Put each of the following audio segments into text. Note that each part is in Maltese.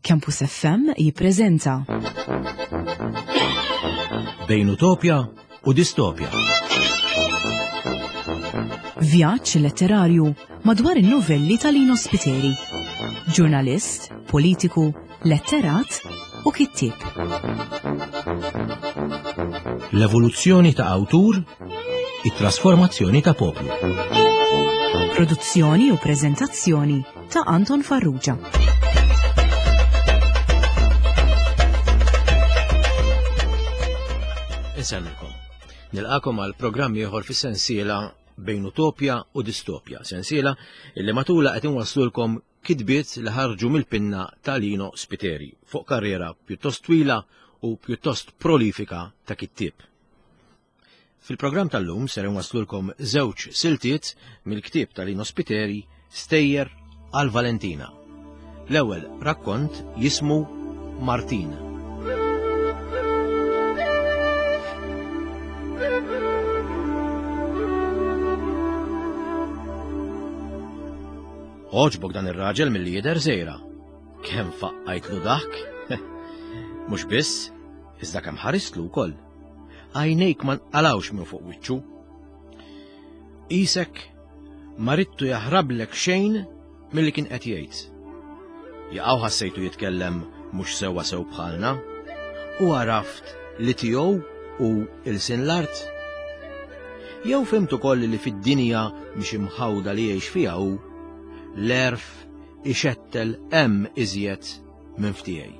Campus FM jippreżenta. Bejn utopja u distopja. Vjaġġ letterarju madwar in-novelli ta' Lino Spiteri. Ġurnalist, politiku, letterat u kittieb. L-evoluzzjoni ta' awtur, it-trasformazzjoni ta' poplu. Produzzjoni u preżentazzjoni ta' Anton Farrugia. Insellmilkom. Nilqakom għal programm ieħor fis-sensiela bejn utopja u distopja, sensiela illi matula qed inwasslulkom kitbiet li ħarġu mill-pinna ta' Lino Spiteri fuq karriera pjuttost twila u pjuttost prolifika ta' kittieb. Fil-programm tal-lum ser inwasslulkom żewġ siltiet mill-ktieb ta' Lino Spiteri Stejjer għal Valentina. L-ewwel rakkont jismu Martin. Għoġbok dan ir-raġel milli jidher żejra. Kemm faqqajtlu daħk? Mhux biss, iżda kemm ħaristlu wkoll. Għajnejk ma nqalawx minn fuq wiċċu. Isek ma ridtu jaħrablek xejn milli kien qed jgħid. Jaqaw ħassejtu jitkellem mhux sewwa sew bħalna u għaraft li tiegħu u ilsien l-art. Jew fhimt ukoll li fid-dinja mhix imħawda li jgħix fiha hu, l-għerf ixettel hemm iżjed minn f'tiegħi.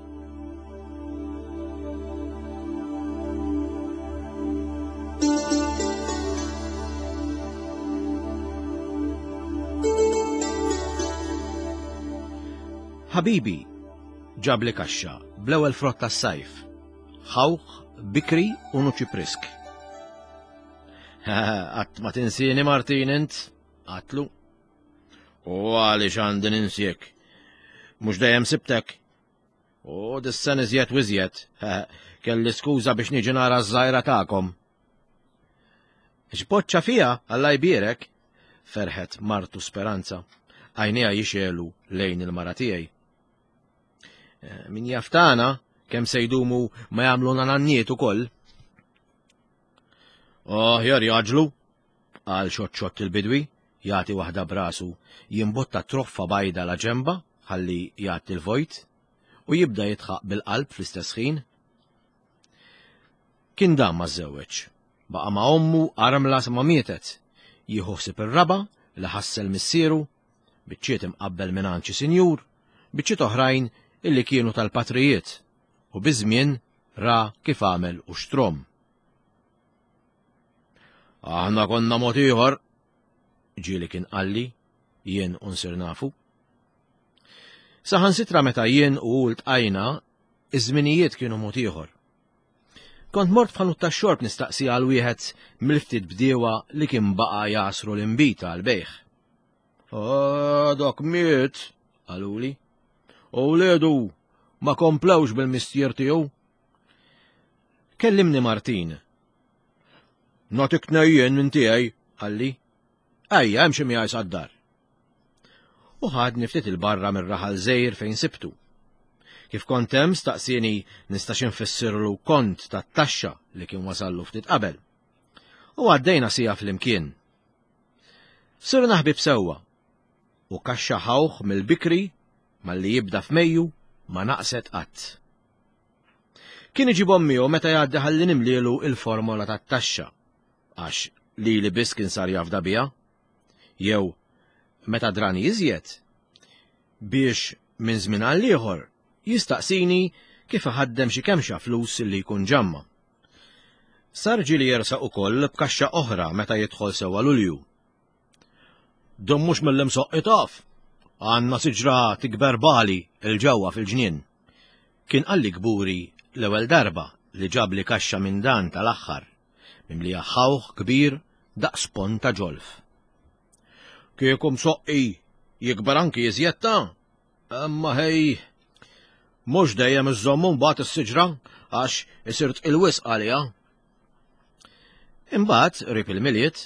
Ħabibi ġabli kaxxa bl-ewwel frott tas-sajf, ħawħ, bikri u nuċi prisk. Qatt ma tinsieni Martin int, għatlu. U għaliex għandi ninsiek? Mhux dejjem sibtek. U dis-sen iżjed u iżjed, kelli skuża biex niġi nara ż-żgħira tagħkom. X'boċċa fiha, Alla jbierek, ferħet martu Speranza, għajnejha jixegħlu lejn il-mara tiegħi. Eh, min jaf tagħna kemm se jdumu ma jagħmluna nanniet ukoll. Aħjar jaġlu, qal xott xott il-bidwi, jagħti waħda b'rasu, jimbotta troffa bajda la ġenba ħalli jgħatti l-vojt, u jibda jidħaq bil-qalb fl-istess ħin. Kien dam ma żżewweġ. Baqa' ma' ommu armla sa ma mietet, jieħu ħsieb ir-raba' li ħassel missieru, biċċiet imqabbel mingħand xi sinjur, biċċiet oħrajn illi kienu tal-patrijiet, u biż-żmien ra kif għamel u xtrom. Aħna konna mod ieħor, ġieli kien qalli, jien u nsir nafu. Saħansitra meta jien u ltqajna, iż-żminijiet kienu mod ieħor. Kont mort f'ħanut tax-xorb nistaqsi għal wieħed mill-ftit bdiewa li kien baqa' jasru l-inbita għal bejħ. Ah, dak miet, qaluli. U wliedu ma komplewx bil-mistier tiegħu. Kellimni Martin. Natik tnejjen minn tiegħi, qalli. Ejja, hemm xi miegħi sad-dar. U ħadni ftit il-barra mir-raħal żejr fejn sibtu. Kif kont hemm staqsieni nistax infissirlu kont tat-taxxa li kien wasallu ftit qabel. U għaddejna sija flimkien. Sirna ħbieb sewwa u kaxxa ħawħ mill-bikri malli jibda f'Mejju ma naqset qatt. Kien iġibhom miegħu meta jgħaddi ħalli nimlielu il-formola tat-taxxa, għax lili biss kien sar jafda biha, jew meta drani iżjed, biex minn żmien għal ieħor jistaqsini kif iħaddem xi kemxa flus li jkun ġamma. Sar ġieli jersaq ukoll b'kaxxa oħra meta jidħol sewwa Lulju. Dun mhux mill-imsoqqi taf. Għandna siġra tikber bali 'l ġewwa fil-ġnien. Kien qalli kburi l-ewwel darba li ġabli kaxxa minn dan tal-aħħar, mimlija ħawħ kbir daqs ponn ta' ġolf. Kieku msoqqi jikber anki iżjed ta', imma ħej, mhux dejjem iżżommu mbagħad is-siġra għax isir tqil wisq għaliha. Imbagħad qrib il-Milied,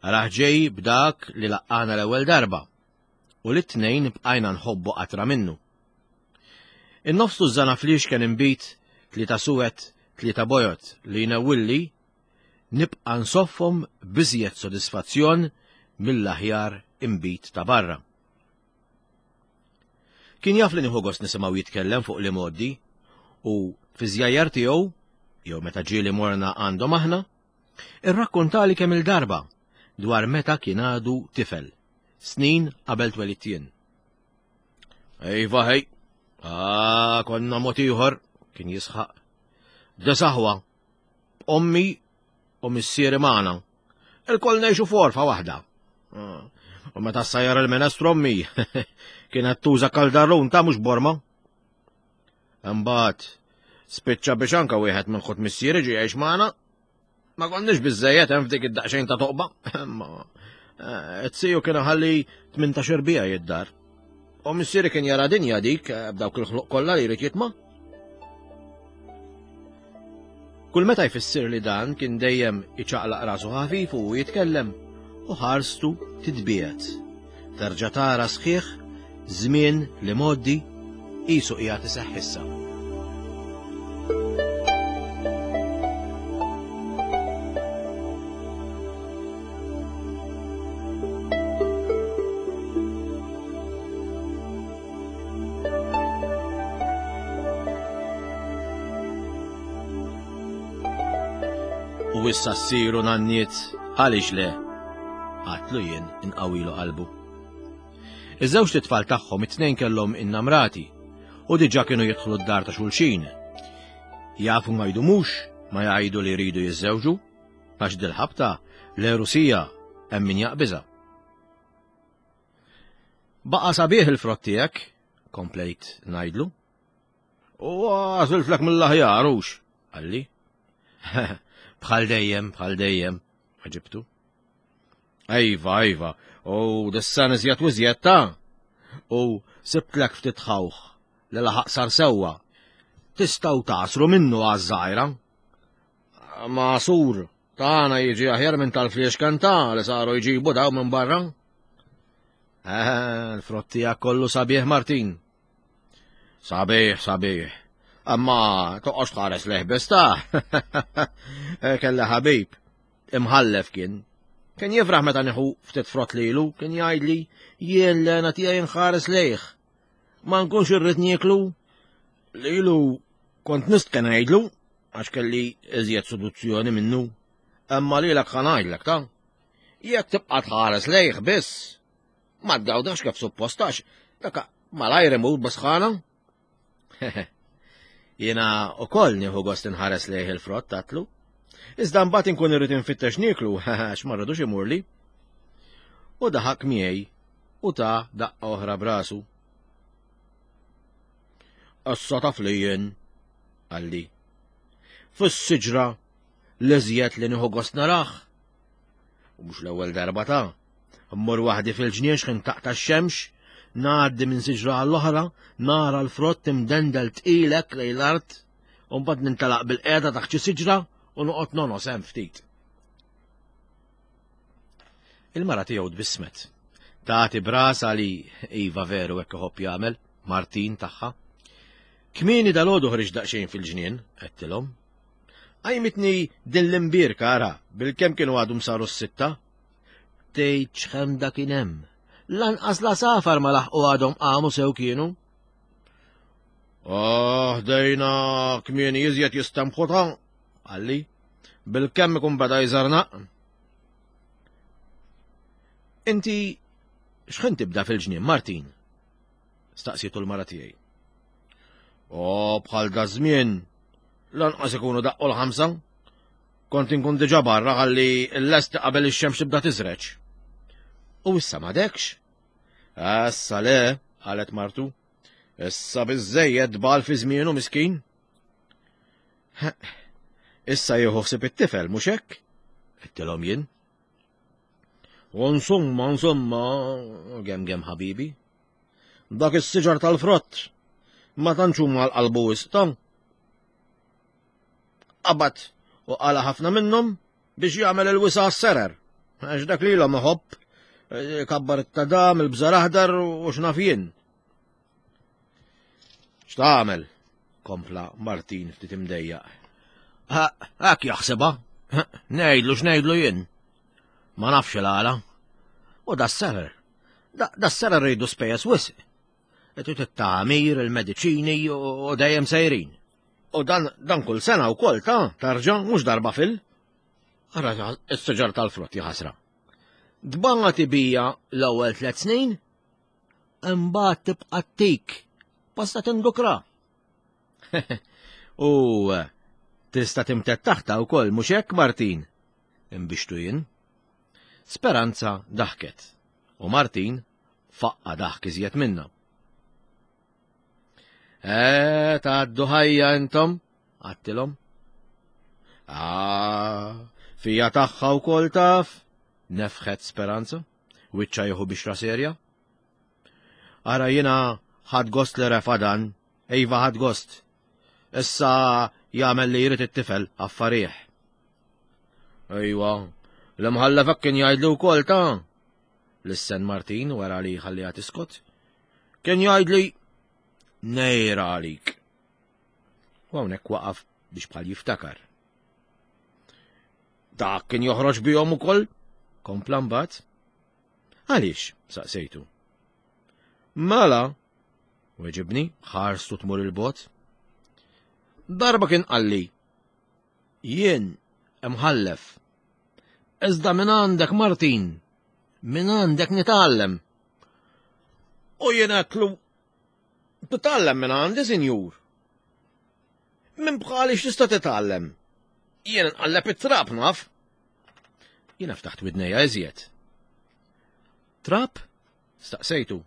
rah ġej b'dak li laqqana l-ewwel darba u li t-tnejn bqajna nħobbu qatra minnu. In-nofs tużżana fliexken inbid, tlieta suwed, tlieta bojod li jnewwilli, nibqa' nsoffhom b'iżjed sodisfazzjon mill-aħjar inbid ta' barra. Kien jaf li nieħu gost nisimgħu jitkellem fuq l-imgħoddi u fi żjajjar tiegħu, jew meta ġieli morna għandhom aħna, irrakkontali kemm-il darba dwar meta kien għadu tifel, snin qabel twelidt jien. Ejva ħej, ah, konna mod ieħor, kien jisħaq. Desaħwa, ommi u missieri magħna. Il-koll ngħixu forfa waħda. Ah, u meta sajjar il-menestru ommi, kienet tuża kaldarun ta' mhux borma. Imbagħad spiċċa biex anka wieħed minn ħut missieri ġie jgħix magħna. Ma konniex biżejjed hemm f'dik id-daqsxejn ta' toqba. Imma eh, t-siju kien ħalli 18 bija jid-dar. U missieri kien jara dinja dik eh, b'dawk il-ħluq kollha li jrid jitma'. Kull meta jfissir li dan kien dejjem iċaqlaq rasu ħafif u jitkellem u ħarstu titbiegħed. Terġa' tara sħiħ żmien li mgħoddi qisu qiegħed iseħħ issa. U issa ssiru nanniet għaliex le? Għatlu jien inqawilu qalbu. Iż-żewġt itfal tagħhom it-tnejn kellhom innamrati u diġà kienu jidħlu d-dar ta' xulxin. Jafu ma jdumux ma jgħidu li jridu jiżżewġu, għax dil-ħabta l-Erusija hemm min jaqbiżha. Baqa' sabiħ il-frott tiegħek, komplejt ngħidlu. U għażiltlek mill-aħjar hux, qalli. Bħal dejjem, bħal dejjem, ġibtu. Ejva, ejva, u dis-sen iżjed u iżjed ta' u sibtlek ftit ħawħ li laħaq sar sewwa. Tistgħu tagħsru minnu għaż-żgħira. Magħsur tagħna jiġi aħjar minn tal-fliexken ta' li saru jġibu daw minn barra. Eh, l-frott tiegħek kollu sabiħ Martin. Sabiħ, sabiħ. Amma toqgħodx tħares lejh biss ta' eh, Kelli ħabib. Imħallef kien. Kien jifraħ meta nieħu ftit frott lilu, kien jgħidli jien l-għena tiegħi nħares lejh. Ma nkunx irrid nieklu. Lilu kont nistken ngħidlu għax kelli iżjed seduzzjoni minnu. Imma lilek ħa ngħidlek ta' jekk tibqa' tħares lejh biss, ma tgawdax kif suppost għax dak malajr imur b'sħana. Jiena ukoll nieħu gost inħares lejh il-frott tatlu. Iżda mbagħad inkun irrid infittex nieklu għax ma rridux imurli. U daħak miegħi u ta' daqqa oħra brasu. Issa taf li jien, qalli. Fis-siġra l-iżjed li nieħu gost narah. U mhux l-ewwel darba ta' Mmur waħdi fil-ġnien x'ħin taqta' x-xemx, ngħaddi minn siġra għall-oħra, nara l-frott imdendel tqil hekk lejn l-art, u mbagħad nintelaq bil-qiegħda taħt xi siġra u noqgħod nonos hemm ftit. Il-mara tiegħu tbissmet. Tagħti brasa li iva veru hekk iħobb jagħmel, Martin tagħha. Kmieni dalgħodu ħriġ daqsxejn fil-ġnien, għedtilhom. Qajmitni din l-imbierka ara, bilkemm kienu għadhom saru s-sitta. Tgħid x'ħemda kien hemm. Lanqas l-għasafar ma laħqu għadhom qamu sew kienu. Oh, dejna kmieni iżjed jistemħu ta' qalli. Bilkemm ikun beda jżarnaq. Inti x'ħin tibda fil-ġnien, Martin? Staqsietu l-mara tiegħi. O, bħal da żmien, lanqas ikunu daqqu l-ħamsa. Kont inkun diġà barra ħalli l-lest qabel ix-xemx tibda tiżreġ. U issa m'għadekx? Issa le, qalet martu. Issa biżejjed bal fi żmienu miskin. Issa jieħu ħsieb it-tifel, mhux hekk? Għedtilhom jien. U insomma, insomma, gem gem ħabibi. Dak is-siġar tal-frott ma tantx huma l-qalbu wisq ta' Qabad u qala ħafna minnhom biex jagħmel il-wisa għas-serer. Għax dak lilhom iħobb eh, kabbar it-tadam, il-bżar aħdar u x'naf jien. X'tagħmel? kompla Martin ftit imdejjaq. Hekk jaħsibha. Ngħidlu x'ngħidlu jien. Ma nafx il-għala. U da s-serer. Da s-serer rridu spejjeż wisq. Trid it-tagħmir, il-mediċini u dejjem sejrin. U dan, dan kull sena wkoll ta' tarġa' mhux darba fil. Ara s-siġar tal-frott ħasra. Dbangħati bija l-ewwel tliet snin, imbagħad tibqa' tik, basta tindukra. U tista' timted taħta wkoll mhux hekk Martin? Imbixtu jien. Speranza daħket u Martin faqqa daħk iżjed minna. Eh, tgħaddu ħajja intom, għattilhom. Ah, fija tagħha wkoll taf, nefħet Speranza, wiċċa jieħu bixra serja. Ara jiena ħadd gost li refa dan, iva ħadd gost. Issa jagħmel li jrid it-tifel affarih. Ejwa, l-imħallef hekk kien jgħidli wkoll ta' Lissen Martin wara li ħalliha tiskot. Kien jgħidli nejra għalik. U hawnhekk waqaf biex bħal jiftakar. Dak kien joħroġ bihom ukoll, kompla mbagħad. Għaliex? saqsejtu. Mela, weġibni, ħarstu tmur il-bot. Darba kien qalli, jien imħallef. Iżda minn għandek Martin, minn għandek nitgħallem. U jien għedtlu, titgħallem minn għandi, sinjur. Minn bħali x'tista' titgħallem? Jien nqalleb it-trab naf. Jiena ftaħt widnejja iżjed. Trab? Staqsejtu.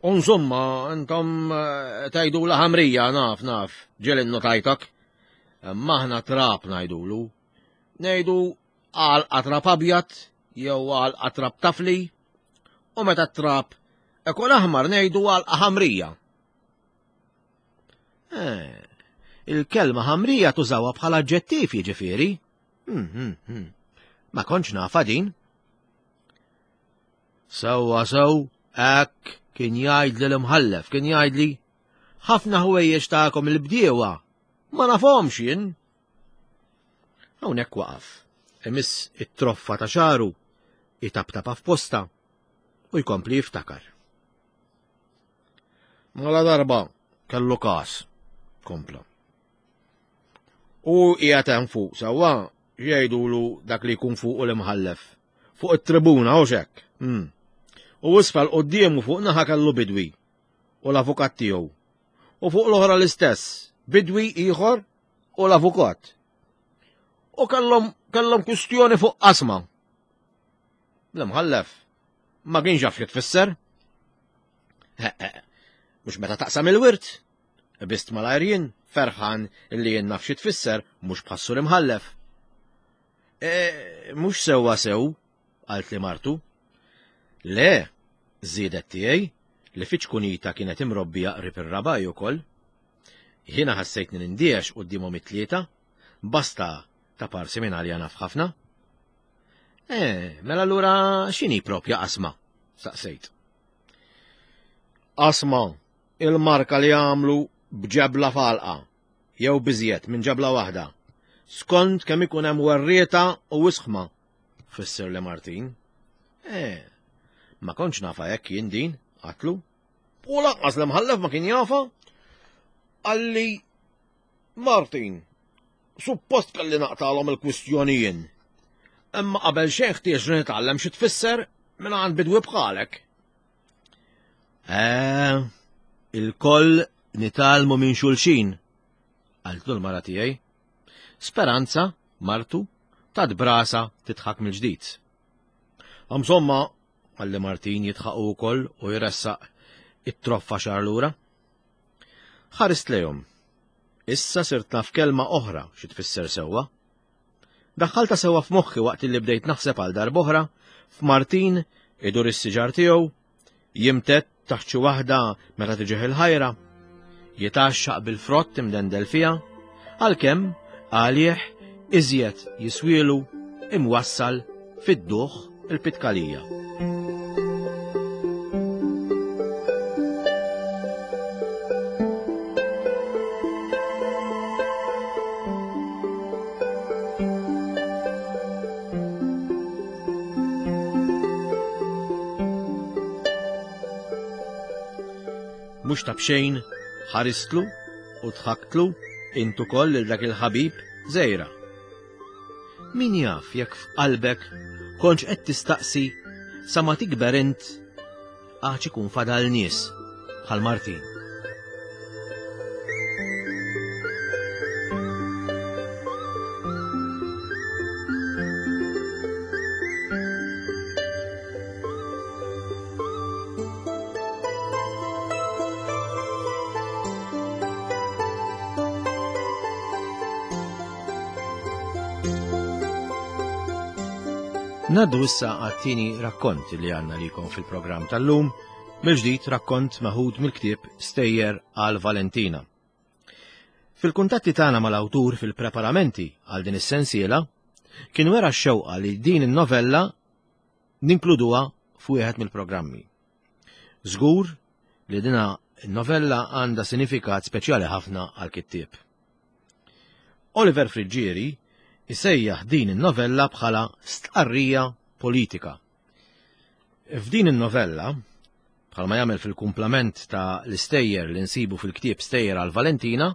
Unżomma, intom eh, tajdu la ħamrija, naf, naf, ġelin notajtak. Maħna trab najdulu. Nejdu għal trab abjad, jew għal trab tafli, u meta trab ikun aħmar nejdu għal ħamrija. Eh, il-kelma ħamrija tużawha bħala aġġettiv jiġifieri. Hmm, hmm, hmm. Ma kontx nafa din. Sewwa sew, hekk kien jgħidli l-imħallef, kien jgħidli ħafna ħwejjeġ tagħkom il-bdiewa ma nafhomx jien. Hawnhekk waqaf, imiss it-troffa ta' xaru, itaptapa f'posta u jkompli jiftakar. Mela darba kellu każ, kompla. U qiegħed hemm fuq sewwa jgħidulu dak li jkun fuq l-imħallef. Fuq it-tribuna u xek. Hmm. U isfel quddiemu fuq naħa kellu bidwi u l-avukat tiegħu. U fuq l-oħra l-istess, bidwi ieħor u l-avukat. U kellhom kellhom kwistjoni fuq qasma. L-imħallef ma kienx jaf xi tfisser. Mhux meta taqsam il-wirt. Bist malajr jien, ferħan li jien naf xi tfisser mhux bħassur imħallef. E, mhux sewwa sew, qalt li martu. Le, żiedet tiegħi li fiċ-kunita kienet imrobbija qrib ir-rabaj ukoll. Jiena ħassejtni nindiex quddiemhom it-tlieta, basta ta' parsi minn għalija naf ħafna. Eh, mela allura x'inhi propja qasma? Saqsejt. Qasma, il-marka li għamlu b'ġebla falqa, jew biżjed minn ġebla waħda, skont kemm ikun hemm werrieta u wisħma, fisser li Martin. Eh, ma kontx nafa hekk jien din, għatlu. U lanqas l-imħallef ma kien jafa. Qalli Martin, suppost kelli naqtalhom il-kwistjoni jien. Imma qabel xejn ħtieġ li nitgħallem xi tfisser minn għand bidwi bħalek. Eh, il-koll nitgħallmu minn xulxin, qaltlu l-mara tiegħi. Speranza, martu, tad brasa titħak mill-ġdid. Insomma, għalli Martin jitħaq ukoll u jressaq it-troffa xar lura. Ħarist lejhom. Issa sirt naf kelma oħra xi tfisser sewwa. Daħħalta sewwa f'moħħi waqt li bdejt naħseb għal darb'oħra f'Martin idur is-siġar tiegħu, jimtedd taħt xi waħda meta tiġih il-ħajra, jitgħaxxaq bil-frott imdendel fiha, għalkemm għalih iżjed jiswielu imwassal fid-duħ il-Pitkalija. Mhux ta' b'xejn ħaristlu u dħaktlu int ukoll lil dak il-ħabib żgħira. Min jaf jekk f'qalbek kontx qed tistaqsi sa ma tikber int għax ikun fadal nies bħal Martin. Naddu issa għat-tieni rakkont li għanna likom fil-programm tal-lum, mill-ġdid rakkont meħud mill-ktieb Stejjer għal Valentina. Fil-kuntatti tagħna mal-awtur fil-preparamenti għal din is-sensiela, kien wera x-xewqa li din in-novella ninkluduha f'wieħed mill-programmi. Żgur li dina novella għandha sinifikat speċjali ħafna għal-kittieb. Oliver Friggieri isejjaħ din in-novella bħala stqarrija politika. F'din in-novella, bħalma jagħmel fil-kumplament ta' l-istejjer li nsibu fil-ktieb Stejjer għal Valentina,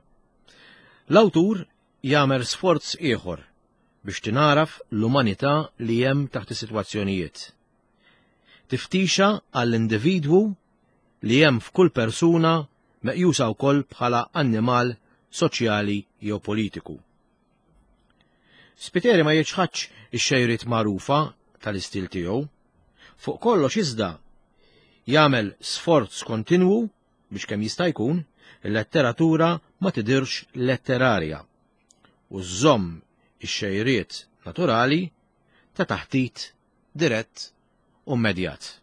l-awtur jagħmel sforz ieħor biex tingħaraf l-umanità li hemm taħt is-sitwazzjonijiet. Tiftixa għall-individwu li hemm f'kull persuna meqjusa wkoll bħala annimal soċjali jew politiku. Spiteri ma jiċħadx ix-xejriet magħrufa tal-istil tiegħu. Fuq kollox iżda jagħmel sforz kontinwu biex kemm jista' jkun il-letteratura ma tidirx letterarja u żżomm ix-xejriet naturali ta' taħtit dirett u immedjat.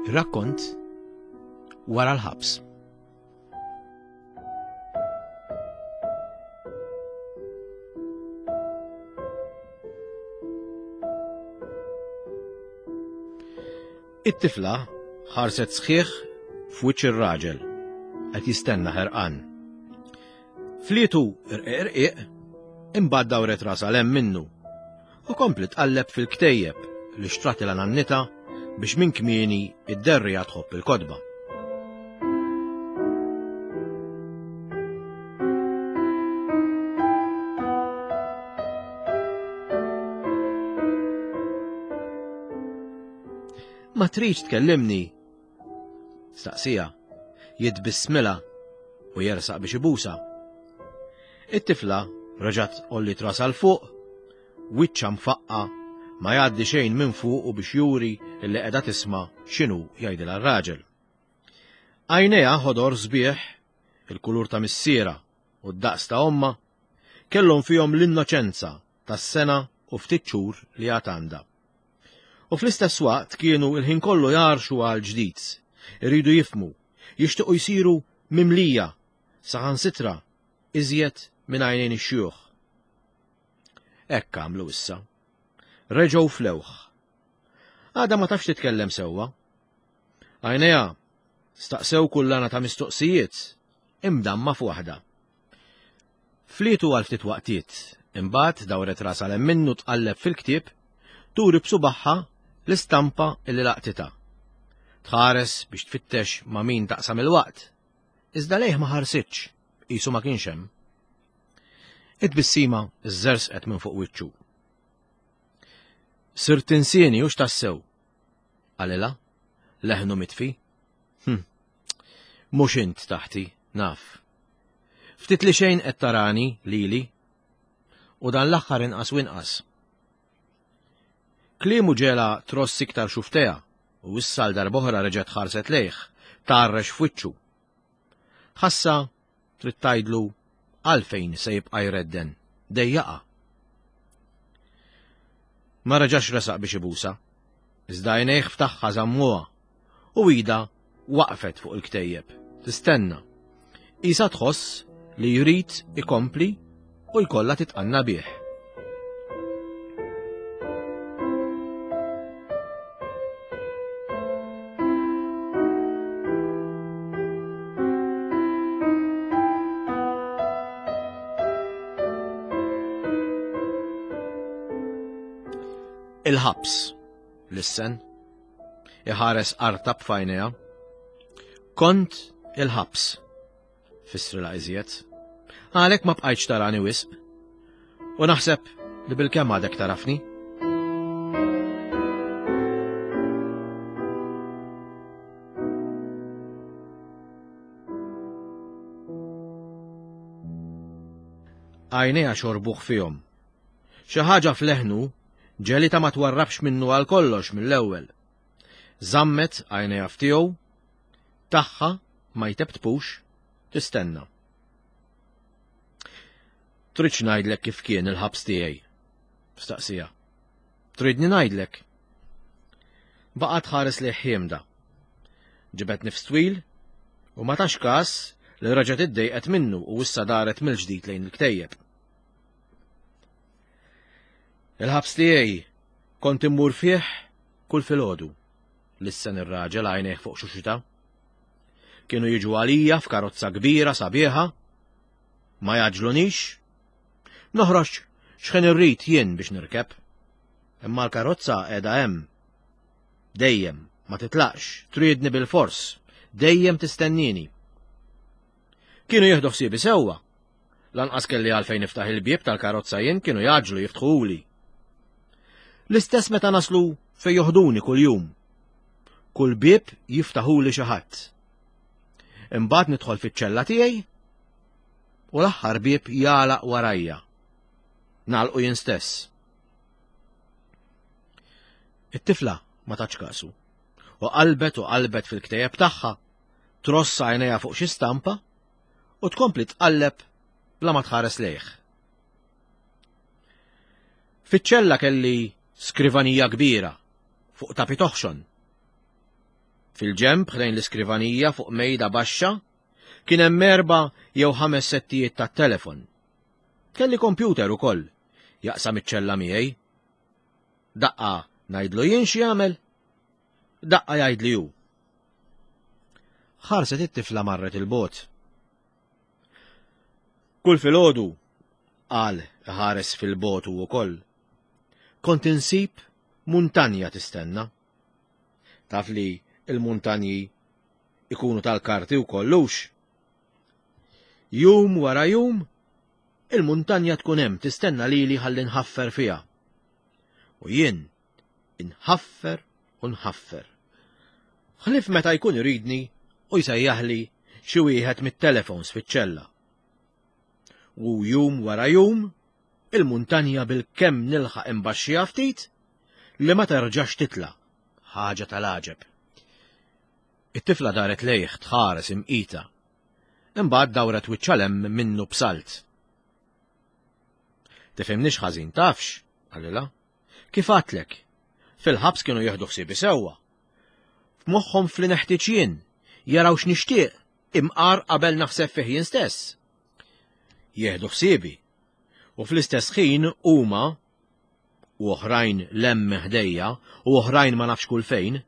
Rakkont wara l-ħabs. It-tifla ħarset sħiħ f'wiċċ ir-raġel qed jistenna ħerqan. Flietu irqiq irqiq, imbagħad dawret rasha 'l hemm minnu u kompli tqalleb fil-ktejjeb li xtratilha nannitha biex minn kmieni id-derrija tħobb il-kotba. Ma tridx tkellimni? Staqsija, jitbissmilha u jersaq biex ibusa. It-tifla reġgħet għolliet rasha 'l fuq, wiċċha mfaqqa' ma jgħaddi xejn minn fuqu biex juri li qiegħda tisma' x'inhu jgħidilha r-raġel. Għajnejha ħodor sbieħ, il-kulur ta' missierha u d-daqs ta' ommha, kellhom fihom l-innoċenza tas-sena u ftit xhur li għad għandha. U fl-istess waqt kienu il-ħin kollu jgħarxu għal ġdid, iridu jifhmu, jixtiequ jsiru mimlija, saħansitra iżjed minn għajnejn ix-xjuħ. Hekk għamlu issa. Reġgħu flewh. Għadha ma tafx titkellem sewwa. Għajnejha staqsew kullana ta' mistoqsijiet imdamma f'waħda. Flietu għal ftit waqtiet, imbagħad dawret rasha 'l hemm minnu tqalleb fil-ktieb, turi b'subagħha l-istampa li laqtitha. Tħares biex tfittex ma' min taqsam il-waqt, iżda lejh ma ħarsitx, qisu ma kienx hemm. It-tbissima żżersqet minn fuq wiċċu. Sirt tinsieni hux tassew, qalilha, leħnu mitfi. Hm. Mhux int taħti, naf. Ftit li xejn qed tarani lili u dan l-aħħar inqas u inqas. Kliemu ġela tross iktar xuftejha u issa għal darb'oħra reġgħet ħarset lejh, tgħarrex f'wiċċu. Ħassa trid tgħidlu għalfejn se jibqa' jredden, dejjaqha. Ma reġax resaq biex ibusha, iżda għajnejh ftaħha żammuha u idha waqfet fuq il-ktejjeb, tistenna. Qisha tħoss li jrid ikompli u jkollha titqanna bih. Il-ħabs, lissen. Iħares artab f'għajnejha. Kont il-ħabs, fissrilha iżjed. Għalhekk ma bqajtx tarani wisq. U naħseb li bil-kemm għadek tarafni. Għajnejha xorbuh fihom. Xi ħaġa f'leħnu ġelita ma twarrabx minnu għal kollox mill-ewwel. Żammet għajnejha f'tiegħu, tagħha ma jtebtpux, tistenna. Tridx ngħidlek kif kien il-ħabs tiegħi? Staqsija. Tridni ngħidlek? Baqgħet tħares lejh ħiemda. Ġibed nifs twil u ma tax kas li reġgħet iddejqet minnu u issa daret mill-ġdid lejn il-ktejjeb. Il-ħabs tiegħi kont immur fih kull filgħodu, lissen ir-raġel għajnejh fuq xuxita. Kienu jiġu għalija f'karozza kbira sabiħa, ma jaġlunix, noħroġ x'ħin irrid jien biex nirkeb. Imma l-karozza qiegħda hemm. Dejjem, ma titlaqx, tridni bil-fors, dejjem tistennini. Kienu jieħdu ħsiebi sewwa. Lanqas kelli għalfejn niftaħ il-bieb tal-karozza jien kienu jaġlu jiftħuli. L-istess meta naslu fejn joħduni kuljum. Kull bieb jiftaħuli xi ħadd. Imbagħad nidħol fiċ-ċella tiegħi u l-aħħar bieb jagħlaq warajja. Nagħlqu jien stess. It-tifla ma tatx kasu. U qalbet u qalbet fil-ktejjeb tagħha, tross għajnejha fuq xi stampa u tkompli tqalleb bla ma tħares lejh. Fiċ-ċella kelli skrivanija kbira fuq tapi toħxon. Fil-ġemb ħdejn l-iskrivanija fuq mejda baxxa kien hemm erba' jew ħames settijiet tat-telefon. Kelli kompjuter ukoll jaqsam iċ-ċella miegħi. Daqqa ngħidlu jien x'jagħmel, daqqa jgħidli hu. Ħarset it-tifla marret il-bogħod. Kull filgħodu, qal ħares fil-bogħod hu wkoll, kont insib muntanja tistenna. Taf li l-muntanji ikunu tal-karti wkoll hux? Jum wara jum, il-muntanja tkun hemm tistenna lili ħalli nħaffer fiha. U jien inħaffer u nħaffer. Ħlief meta jkun iridni u jsejjaħli xi wieħed mit-telefons fiċ-ċella. U jum wara jum, il-muntanja bil-kemm nilħaq imbaxxiha ftit li ma terġax titla' ħaġa tal-għaġeb. It-tifla daret lejh tħares imqita. Imbagħad dawret wiċċha 'l hemm minnu b'salt. Tifhimnix ħażin tafx, qalilha. Kif għadtlek, fil-ħabs kienu jieħdu ħsiebi sewwa. F'moħħhom f'li neħtieġ jien, jaraw x'nixtieq, imqar qabel naħseb fih jien stess. Jieħdu ħsiebi. U fl-istess ħin huma u oħrajn 'l hemm ħdejja u oħrajn ma nafx kull fejn,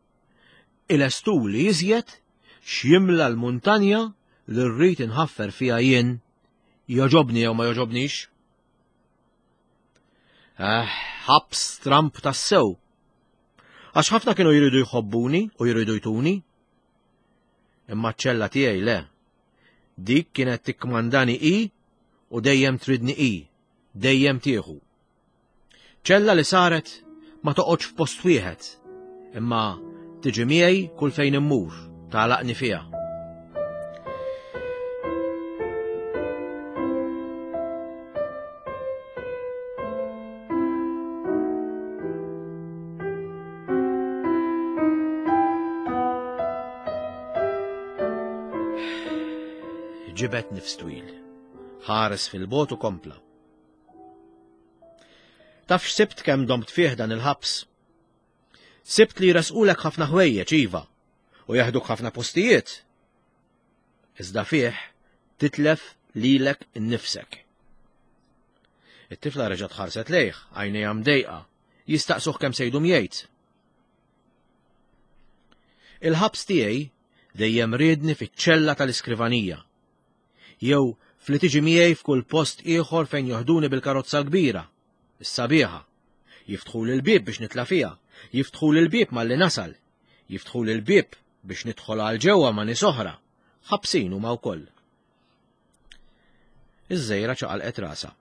ilestuli iżjed x'jimla l-muntanja li rrid inħaffer fiha jien, jogħġobni jew ma jogħġobnix. Eh, ħabs Trump tassew. Għax ħafna kienu jridu jħobbuni u jridu jtuni. Imma ċ-ċella tiegħi le. Dik kienet tikkmandani i u dejjem tridni i, dejjem tieħu. Ċella li saret ma toqgħodx f'post wieħed, imma tiġi miegħi kull fejn immur, tagħlaqni fiha. Ġibet nifs twil. Ħares fil-bot u kompla. Taf x'sibt kemm domt fih dan il-ħabs? Sibt li jresqulek ħafna ħwejjeġ iva u jaħduk ħafna postijiet. Iżda fih titlef lilek innifsek. It-tifla reġgħet ħarset lejh, għajnejha mdejqa, jistaqsuh kemm se jdum jgħid. Il-ħabs tiegħi dejjem riedni fiċ-ċella tal-iskrivanija. Jew fli tiġi miegħi f'kull post ieħor fejn joħduni bil-karozza l-kbira, is-sabiħa. Jiftħuli l-bieb biex nitla' fiha. Jiftħuli l-bieb malli nasal. Jiftħuli l-bieb biex nidħol għal ġewwa ma' nies oħra. Ħabsin huma wkoll. Iż-żgħira ċaqalqet rasha.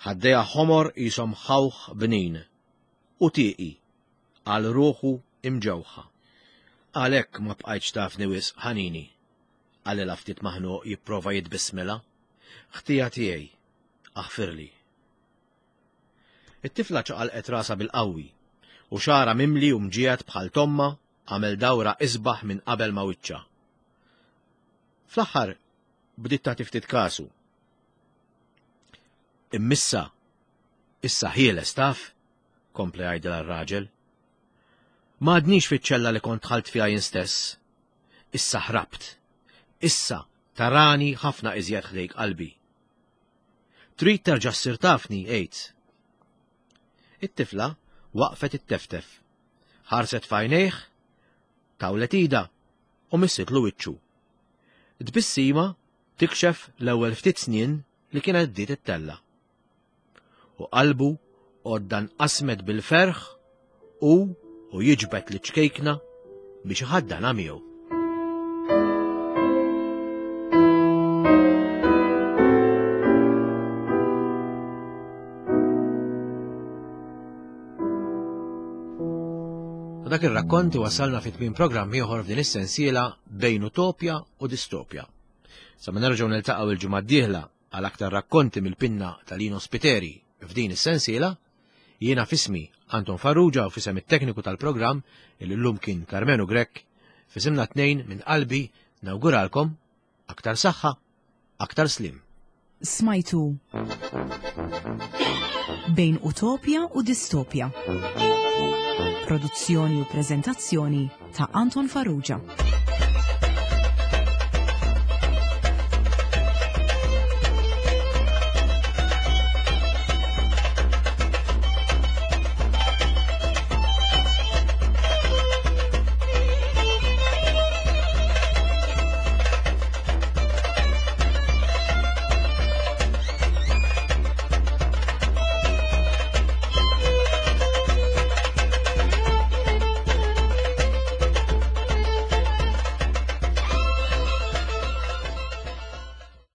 Ħaddejha ħomor qishom ħawħ bnin. U tieqi għal ruħu imġewħa. Għalhekk ma bqajtx tafni wisq ħanini, qalilha ftit maħnuq jipprova jitbissmilha. Ħtija tiegħi, aħfirli. It-tifla ċaqalqet rasha bil-qawwi, u xagħarha mimli u mġiegħed bħal t'ommha għamel dawra isbaħ minn qabel ma' wiċċha. Fl-aħħar bdiet tagħti ftit kasu. Immissa, issa ħieles taf, kompla jgħidilha r-raġel. M'għadnix fiċ-ċella li kont dħalt fiha jien stess. Issa ħrabt. Issa tarani ħafna iżjed ħdejk qalbi. Trid terġa' ssir tafni, għid. It-tifla waqfet itteftef. Ħarset f'għajnejh, tawlet idha u missitlu wiċċu. Tbissima tikxef l-ewwel ftit snien li kienet bdiet ittella'. U qalbu għodda nqasmet bil-ferħ u u jiġbed liċ-ċkejkna biex iħaddanha miegħu. Dak ir-rakkont wasalna fi tmiem programm ieħor f'din is-sensiela bejn utopja u distopja. Sa ma nerġgħu niltaqgħu il-ġimgħa d-dieħla għal aktar rakkonti mill-pinna ta' Lino Spiteri f'din is-sensiela, jiena f'ismi Anton Farrugia u f'isem it-tekniku tal-programm il llum kien Karmenu Grech, f'isimna tnejn minn qalbi nawguralkom aktar saħħa, aktar sliem. Smajtu Bejn Utopja u Distopja. Produzzjoni u preżentazzjoni ta' Anton Farrugia.